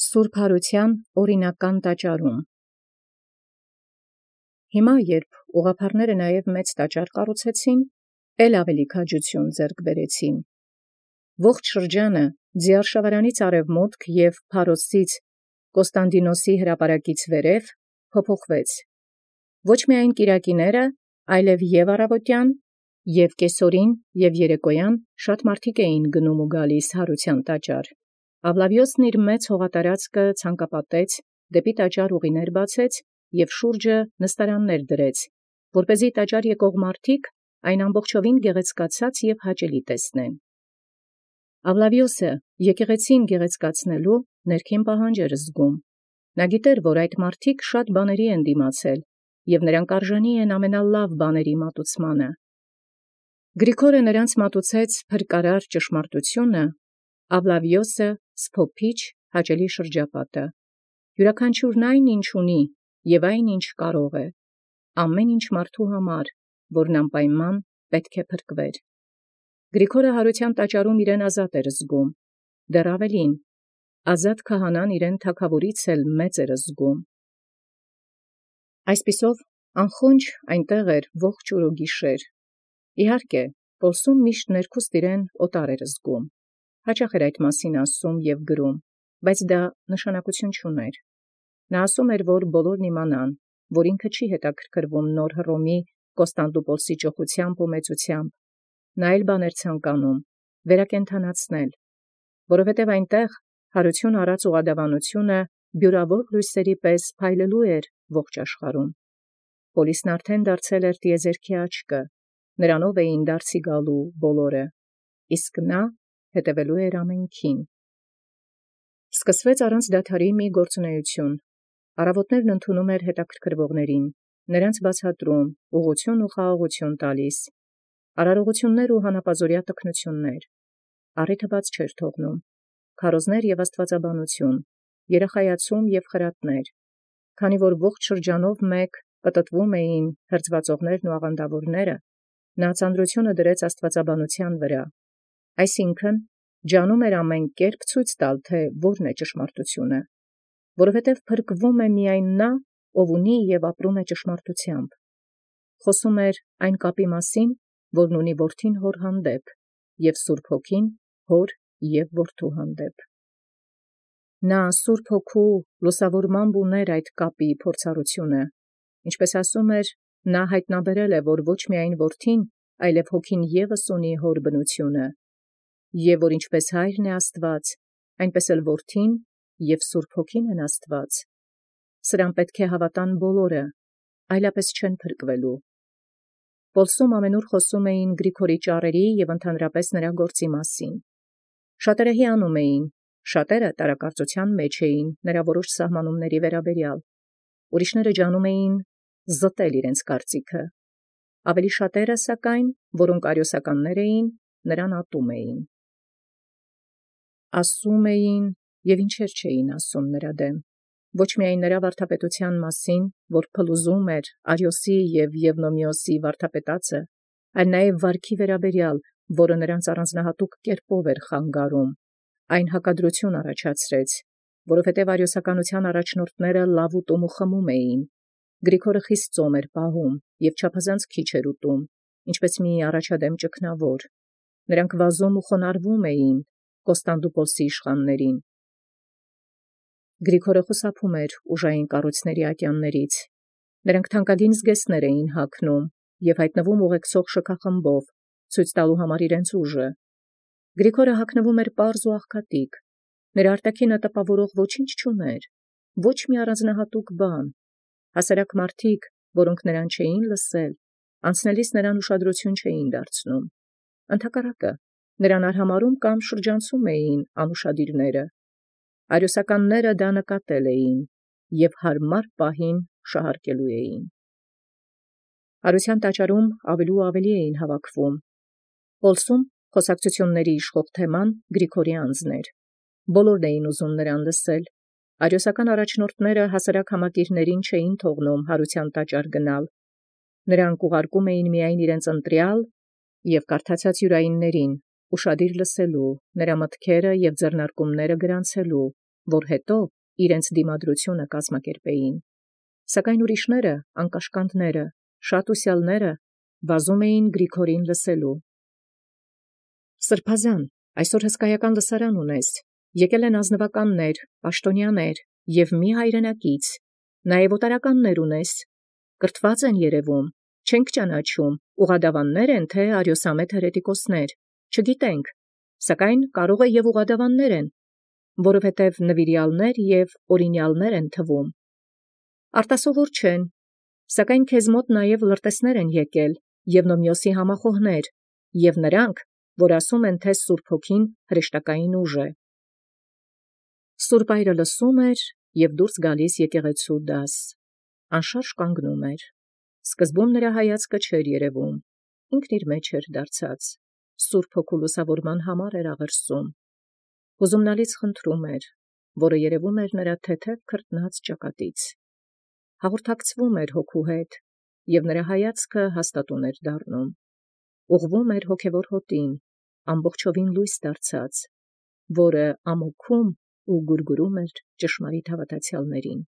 Սուրբ Հարության օրինական տաճարում։ Հիմա երբ ուղղափառները նաև մեծ տաճար կառուցեցին, ել ավելի քաջություն ձեռք բերեցին։ Ողջ շրջանը Ձիարշավարանից արևմուտք և Փարոսից Կոստանդինոսի հրապարակից վերև փոփոխվեց։ Ոչ միայն կիրակիները, այլև և առավոտյան, և կեսօրին, և երեկոյան շատ մարդիկ էին գնում ու գալիս Հարության տաճար։ Աղլավիոսն իր մեծ հողատարածքը ցանկապատեց, դեպի տաճար ուղիներ բացեց և շուրջը նստարաններ դրեց, որպեսզի տաճար եկող մարդիկ այն ամբողջովին գեղեցկացած և հաճելի տեսնեն։ Աղլավիոսը եկեղեցին գեղեցկացնելու ներքին պահանջ էր զգում։ Նա գիտեր, որ այդ մարդիկ շատ բաների են դիմացել, և նրանք արժանի են ամենալավ բաների մատուցմանը։ Գրիգորը նրանց մատուցեց փրկարար ճշմարտությունը, Աղլավիոսը սփոփիչ հաճելի շրջապատը։ Յուրաքանչյուրն այն, ինչ ունի, և այն, ինչ կարող է, ամեն ինչ մարդու համար, որն անպայման պետք է փրկվեր։ Գրիգորը Հարության տաճարում իրեն ազատ էր զգում, դեռ ավելին, ազատ քահանան իրեն թագավորից էլ մեծ էր զգում։ Այսպիսով անխոնջ այնտեղ էր ողջ օր ու գիշեր։ Իհարկե, Պոլսում միշտ ներքուստ իրեն օտար էր զգում։ Հաճախ էր այդ մասին ասում և գրում, բայց դա նշանակություն չուներ։ Նա ասում էր, որ բոլորն իմանան, որ ինքը չի հետաքրքրվում նոր Հռոմի Կոստանդնուպոլսի ճոխությամբ ու մեծությամբ։ Նա այլ բան էր ցանկանում վերակենդանացնել, որովհետև այնտեղ Հարություն առած ուղղադավանությունը բյուրավոր լույսերի պես փայլելու էր ողջ աշխարհում։ Պոլիսն արդեն դարձել էր տիեզերքի աչքը, նրանով էին դարձի գալու բոլորը, իսկ նա հետևելու էր ամենքին։ Սկսվեց առանց դադարի մի գործունեություն։ Առավոտներն ընդունում էր հետաքրքրվողներին, նրանց բացատրում, ուղղություն ու խաղաղություն տալիս, արարողություններ ու հանապազօրյա տքնություններ, առիթը բաց չէր թողնում, քարոզներ և աստվածաբանություն, երախայացում և խրատներ, քանի որ ողջ շրջանով մեկ պտտվում էին հրձվածողներն ու աղանդավորները, նա ծանրությունը դրեց աստվածաբանության վրա, այսինքն ջանում էր ամեն կերպ ցույց տալ, թե որն է ճշմարտությունը, որովհետև փրկվում է միայն նա, ով ունի և ապրում է ճշմարտությամբ։ Խոսում էր այն կապի մասին, որն ունի որդին հոր հանդեպ, և Սուրբ Հոգին հոր և որդու հանդեպ։ Նա Սուրբ Հոգու լուսավորմամբ ուներ այդ կապի փորձառությունը, ինչպես ասում էր, նա հայտնաբերել է, որ ոչ միայն որդին, այլև Հոգին ևս ունի հոր բնությունը, և որ ինչպես Հայրն է Աստված, այնպես էլ Որդին և Սուրբ Հոգին են Աստված։ Սրան պետք է հավատան բոլորը, այլապես չեն փրկվելու։ Պոլսում ամենուր խոսում էին Գրիգորի ճառերի և ընդհանրապես նրա գործի մասին։ Շատերը հիանում էին, շատերը տարակարծության մեջ էին նրա որոշ սահմանումների վերաբերյալ։ Ուրիշները ջանում էին զտել իրենց կարծիքը։ Ավելի շատերը, սակայն, որոնք արիոսականներ էին, նրան ատում էին։ Ասում էին և ինչեր չէին ասում նրա դեմ, ոչ միայն նրա վարդապետության մասին, որ փլուզում էր Արիոսի և Եվնոմիոսի վարդապետացը, այլ նաև վարքի վերաբերյալ, որը նրանց առանձնահատուկ կերպով էր խանգարում, այն հակադրություն առաջացրեց, որովհետև արիոսականության առաջնորդները լավ ուտում ու խմում էին, Գրիգորը խիստ ծոմ էր պահում և չափազանց քիչ էր ուտում, ինչպես մի առաջադեմ ճգնավոր, նրանք վազում ու խոնարհվում էին Կոստանդնուպոլսի իշխաններին։ Գրիգորը խուսափում էր ուժային կառույցների ատյաններից, նրանք թանկագին զգեստներ էին հագնում և հայտնվում ուղեկցող շքախմբով, ցույց տալու համար իրենց ուժը։ Գրիգորը հագնվում էր պարզ ու աղքատիկ, նրա արտաքինը տպավորող ոչինչ չուներ, ոչ մի առանձնահատուկ բան։ Հասարակ մարդիկ, որոնք նրան չէին լսել, անցնելիս նրան ուշադրություն չէին դարձնում։ Ընդհակառակը, նրան արհամարհում կամ շրջանցում էին անուշադիրները։ Արիոսականները դա նկատել էին և հարմար պահին շահարկելու էին։ Հարության տաճարում ավելի ու ավելի էին հավաքվում։ Պոլսում խոսակցությունների իշխող թեման Գրիգորի անձն էր։ Բոլորն էին ուզում նրան լսել։ Արիոսական առաջնորդները հասարակ համակիրներին չէին թողնում Հարության տաճար գնալ։ Նրանք ուղարկում էին միայն իրենց ընտրյալ և կարդացած յուրայիններին, ուշադիր լսելու, նրա մտքերը և ձեռնարկումները գրանցելու, որ հետո իրենց դիմադրությունը կազմակերպեին։ Սակայն ուրիշները, անկաշկանդները, շատ ուսյալները վազում էին Գրիգորին լսելու։ Սրբազան, այսօր հսկայական լսարան ունես, եկել են ազնվականներ, պաշտոնյաներ և մի հայրենակից, նաև օտարականներ ունես, կրթված են երևում, չենք ճանաչում, ուղադավաններ են, թե արիոսամետ հերետիկոսներ, չգիտենք, սակայն կարող է և ուղադավաններ են, որովհետև նվիրյալներ և օրինյալներ են թվում։ Արտասովոր չեն, սակայն քեզ մոտ նաև լրտեսներ են եկել և Նոմիոսի համախոհներ, և նրանք, որ ասում են, թե Սուրբ Հոգին հրեշտակային ուժ է։ Սուրբ այրը լսում էր և դուրս գալիս եկեղեցու դաս, անշարժ կանգնում էր։ Սկզբում նրա հայացքը չէր երևում, ինքն իր մեջ էր դարձած, Սուրբ Հոգու լուսավորման համար էր աղերսում, հուզումնալից խնդրում էր, որը երևում էր նրա թեթև քրտնած ճակատից, հաղորդակցվում էր Հոգու հետ, և նրա հայացքը հաստատուն էր դառնում, ուղղվում էր հոգևոր հոտին, ամբողջովին լույս դարձած, որը ամոքում ու գուրգուրում էր ճշմարիտ հավատացյալներին։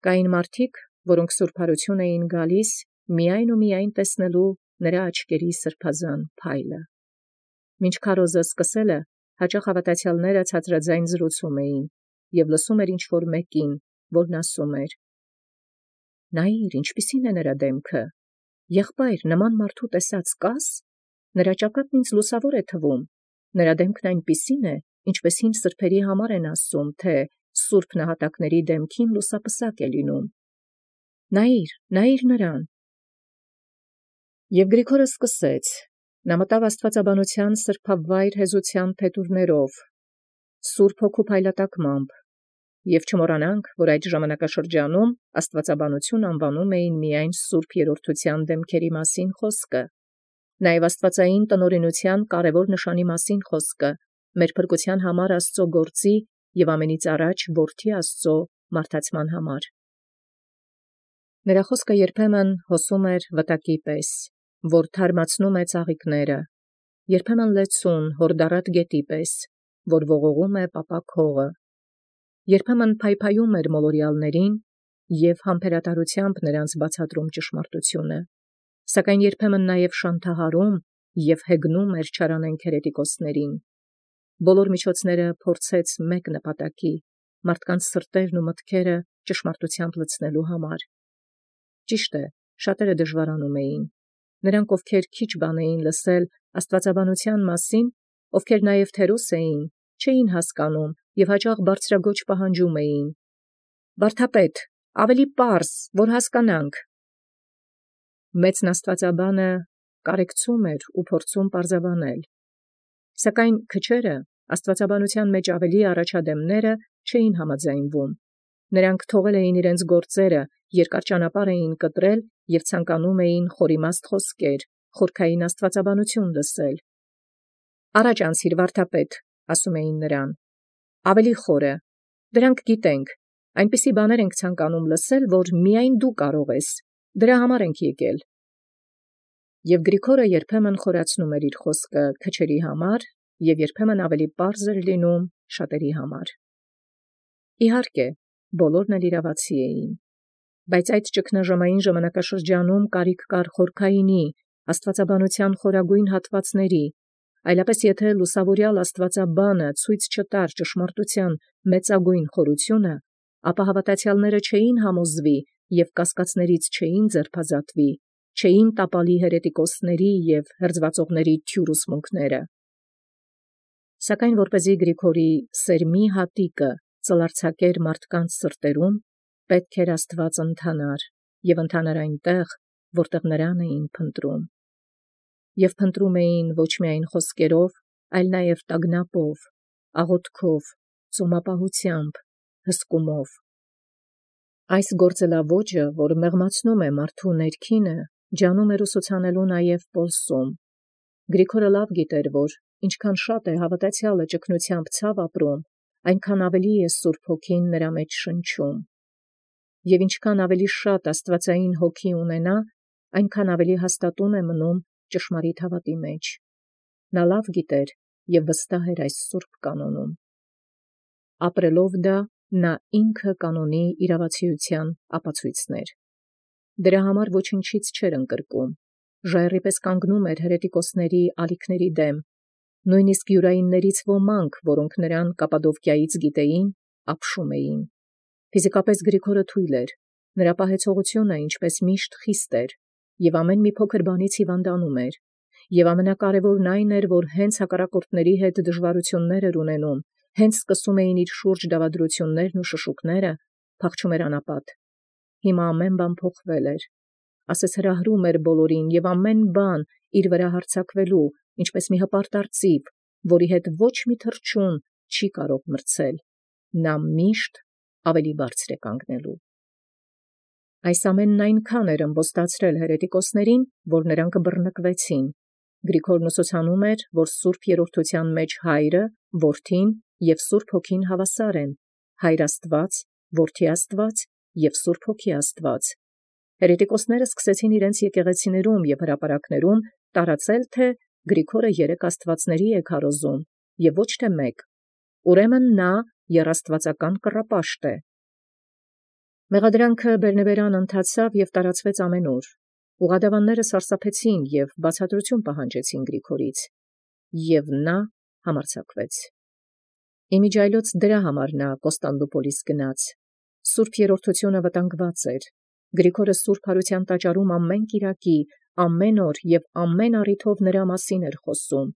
Կային մարդիկ, որոնք սուրբարություն էին գալիս միայն ու միայն տեսնելու նրա աչքերի սրբազան փայլը։ Մինչ քարոզը սկսելը, հաճախ հավատացյալները ցածրաձայն զրուցում էին և լսում էր ինչ-որ մեկին, որն ասում էր. «Նայիր, ինչպիսին է նրա դեմքը, եղբայր, նման մարդու տեսած կաս, նրա ճակատն ինձ լուսավոր է թվում, նրա դեմքն այնպիսին է, ինչպես հին սրբերի համար են ասում, թե սուրբ նահատակների դեմքին լուսապսակ է լինում. նայիր նրան»։ Եվ Գրիգորը սկսեց, նա մտավ աստվածաբանության սրբավայր հեզության փետուրներով, Սուրբ Հոգու փայլատակմամբ, և չմոռանանք, որ այդ ժամանակաշրջանում աստվածաբանություն անվանում էին միայն սուրբ երրորդության դեմքերի մասին խոսքը, նաև աստվածային տնօրինության կարևոր նշանի մասին խոսքը, մեր փրկության համար Աստծո գործի և ամենից առաջ Որդի Աստծո մարդացման համար։ Նրա խոսքը երբեմն հոսում էր վտակի պես, որ թարմացնում է ծաղիկները, երբեմն լեցուն, հորդառատ գետի պես, որ ողողում է պապակ հողը, երբեմն փայփայում էր մոլորյալներին և համբերատարությամբ նրանց բացատրում ճշմարտությունը, սակայն երբեմն նաև շանթահարում և հեգնում էր չարանենգ հերետիկոսներին։ Բոլոր միջոցները փորձեց մեկ նպատակի՝ մարդկանց սրտերն ու մտքերը ճշմարտությամբ լցնելու համար։ Ճիշտ է, շատերը դժվարանում էին, նրանք, ովքեր քիչ բան էին լսել աստվածաբանության մասին, ովքեր նաև թերոս էին, չէին հասկանում և հաճախ բարձրագոչ պահանջում էին. «Վարդապետ, ավելի պարզ, որ հասկանանք»։ Մեծն աստվածաբանը կարեկցում էր ու փորձում պարզաբանել, սակայն քչերը, աստվածաբանության մեջ ավելի առաջադեմները, չէին համաձայնվում, նրանք թողել էին իրենց գործերը, երկար ճանապարհ էին կտրել և ցանկանում էին խորիմաստ խոսքեր, խորքային աստվածաբանություն լսել։ «Առաջ անցիր, վարդապետ», ասում էին նրան, «ավելի խորը, դրանք գիտենք, այնպիսի բաներ ենք ցանկանում լսել, որ միայն դու կարող ես, դրա համար ենք եկել»։ Եվ Գրիգորը երբեմն խորացնում էր իր խոսքը քչերի համար և երբեմն ավելի պարզ էր լինում շատերի համար։ Իհարկե, բոլորն էլ իրավացի էին, բայց այդ ճգնաժամային ժամանակաշրջանում կարիք կար խորքայինի, աստվածաբանության խորագույն հատվածների, այլապես եթե լուսավորյալ աստվածաբանը ցույց չտար ճշմարտության մեծագույն խորությունը, ապա հավատացյալները չէին համոզվի և կասկածներից չէին ձերբազատվի, չէին տապալի հերետիկոսների և հրձվածողների թյուր ուսմունքները։ Սակայն որպեսզի Գրիգորի սերմի հատիկը ծլարձակեր մարդկանց սրտերում, պետք էր Աստված ընթանար և ընթանար այնտեղ, որտեղ նրան էին փնտրում։ Եվ փնտրում էին ոչ միայն խոսքերով, այլ նաև տագնապով, աղոթքով, ծոմապահությամբ, հսկումով։ Այս գործելաոճը, որ մեղմացնում է մարդու ներքինը, ջանում էր ուսուցանելու նաև Պոլսում։ Գրիգորը լավ գիտեր, որ ինչքան շատ է հավատացյալը ճգնությամբ ցավ ապրում, այնքան ավելի է Սուրբ Հոգին նրա մեջ շնչում։ Եվ ինչքան ավելի շատ աստվածային հոգի ունենա, այնքան ավելի հաստատուն է մնում ճշմարիտ հավատի մեջ։ Նա լավ գիտեր և վստահ էր այս սուրբ կանոնում։ Ապրելով դա նա ինքը կանոնի իրավացիության ապացույցներ։ Դրա համար ոչնչից չէր ընկրկում, ժայռի պես կանգնում էր հերետիկոսների ալիքների դեմ, նույնիսկ յուրայիններից ոմանք, որոնք նրան Կապադովկիայից գիտեին, ապշում էին։ Ֆիզիկապես Գրիգորը թույլ էր, նրա պահեցողությունը ինչպես միշտ խիստ էր, և ամեն մի փոքր բանից հիվանդանում էր, և ամենակարևորն այն էր, որ հենց հակառակորդների հետ դժվարություններ էր ունենում, հենց սկսում էին իր շուրջ դավադրություններն ու շշուկները, փախչում էր անապատ։ Հիմա ամեն բան փոխվել էր, ասես հրահրում էր բոլորին, և ամեն բան իր վրա հարձակվելու, ինչպես մի հպարտ արծիվ, որի հետ ոչ մի թռչուն չի կարող մրցել, նա միշտ ավելի բարձր է կանգնելու։ Այս ամենն այնքան էր ըմբոստացրել հերետիկոսներին, որ նրանք բռնկվեցին։ Գրիգորն ուսուցանում էր, որ Սուրբ Երրորդության մեջ Հայրը, Որդին և Սուրբ Հոգին հավասար են, Հայր Աստված, Որդի Աստված և Սուրբ Հոգի Աստված։ Հերետիկոսները սկսեցին իրենց եկեղեցիներում և հրապարակներում տարածել, թե Գրիգորը երեք աստվածների է քարոզում, և ոչ թե մեկ, ուրեմն նա եռաստվածական կռապաշտ է։ Մեղադրանքը բերնեբերան ընթացավ և տարածվեց ամենուր։ Ուղղադավանները սարսափեցին և բացատրություն պահանջեցին Գրիգորից, և նա համարձակվեց։ Իմիջիայլոց դրա համար նա Կոստանդնուպոլիս գնաց։ Սուրբ Երրորդությունը վտանգված էր։ Գրիգորը Սուրբ Հարության տաճարում ամեն կիրակի, ամեն օր և ամեն առիթով նրա մասին էր խոսում։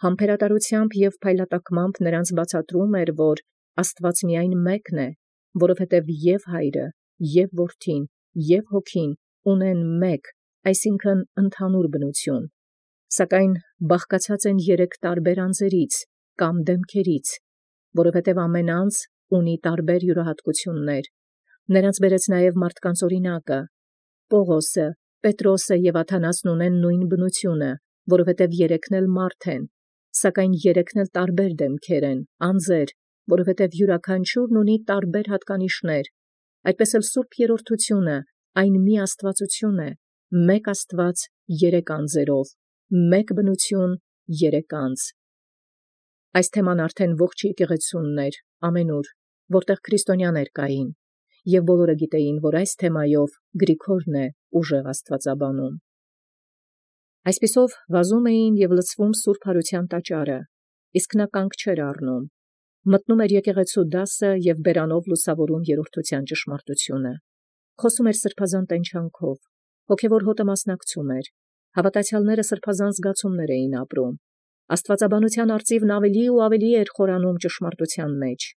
Համբերատարությամբ և փայլատակմամբ նրանց բացատրում էր, որ Աստված միայն մեկն է, որովհետև և Հայրը, և Որդին, և Հոգին ունեն մեկ, այսինքն ընդհանուր բնություն, սակայն բաղկացած են երեք տարբեր անձերից կամ դեմքերից, որովհետև ամեն անձ ունի տարբեր յուրահատկություններ։ Նրանց բերեց նաև մարդկանց օրինակը։ Պողոսը, Պետրոսը և Աթանասն ունեն նույն բնությունը, որովհետև երեքն էլ մարդ են, սակայն երեքն էլ տարբեր դեմքեր են, անձեր, որովհետև յուրաքանչյուրն ունի տարբեր հատկանիշներ։ Այդպես էլ Սուրբ Երրորդությունը այն մի աստվածություն է, մեկ Աստված երեք անձերով, մեկ բնություն երեք անձ։ Այս թեման արդեն ողջ եկեղեցունն էր, ամենուր, որտեղ քրիստոնյաներ կային, և բոլորը գիտեին, որ այս թեմայով Գրիգորն է ուժեղ աստվածաբանում։ Այսպիսով վազում էին և լցվում Սուրբ Հարության տաճարը, իսկ նա կանգ չէր առնում, մտնում էր եկեղեցու դասը և բերանով լուսավորում երրորդության ճշմարտությունը, խոսում էր սրբազան տենչանքով, հոգևոր հոտը մասնակցում էր, հավատացյալները սրբազան զգացումներ էին ապրում, աստվածաբանության արծիվն ավելի ու ավելի էր խորանում ճշմարտության մեջ,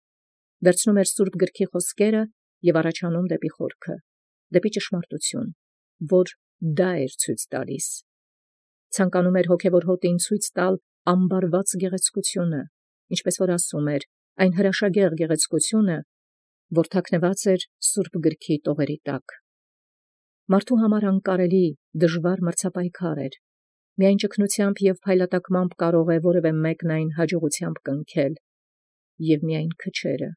վերցնում էր Սուրբ Գրքի խոսքերը և առաջանում դեպի խորքը, դեպի ճշմարտություն, որ դա էր ցույց տալիս։ Ցանկանում էր հոգևոր հոտին ցույց տալ ամբարված գեղեցկությունը, ինչպես որ ասում էր, այն հրաշագեղ գեղեցկությունը, որ թաքնված էր Սուրբ Գրքի տողերի տակ։ Մարդու համար անկարելի, դժվար մրցապայքար էր։ Միայն ճգնությամբ և փայլատակմամբ կարող է որևէ մեկն այն հաջողությամբ կնքել, և միայն քչերը։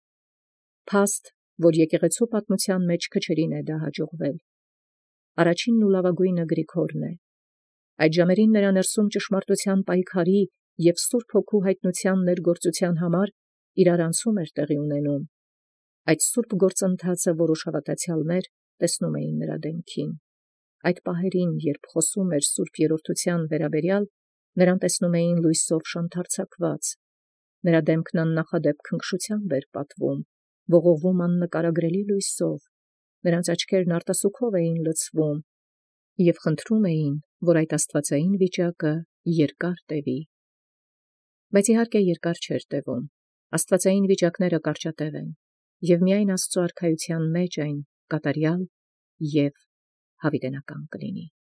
Փաստ, որ եկեղեցու պատմության մեջ քչերին է դա հաջողվել։ Առաջինն ու լավագույնը Գրիգորն է։ Այդ ժամերին նրա ներսում ճշմարտության պայքարի և Սուրբ Հոգու հայտնության ներգործության համար իրարանցում էր տեղի ունենում։ Այդ սուրբ գործընթացը որոշ հավատացյալներ տեսնում էին նրա դեմքին։ Այդ պահերին, երբ խոսում էր Սուրբ Երրորդության վերաբերյալ, նրան տեսնում էին լույսով շանթարցակված։ Նրա դեմքն աննախադեպ քնքշությամբ էր պատվում, ողողվում աննկարագրելի լույսով, նրանց աչքերն արտասուքով էին լցվում, և խնդրում էին, որ այդ աստվածային վիճակը երկար տևի։ Բայց իհարկե երկար չէր տևում, աստվածային վիճակները կարճատև են, և միայն Աստծու արքայության մեջ այն կատարյալ և հավիտենական կլինի։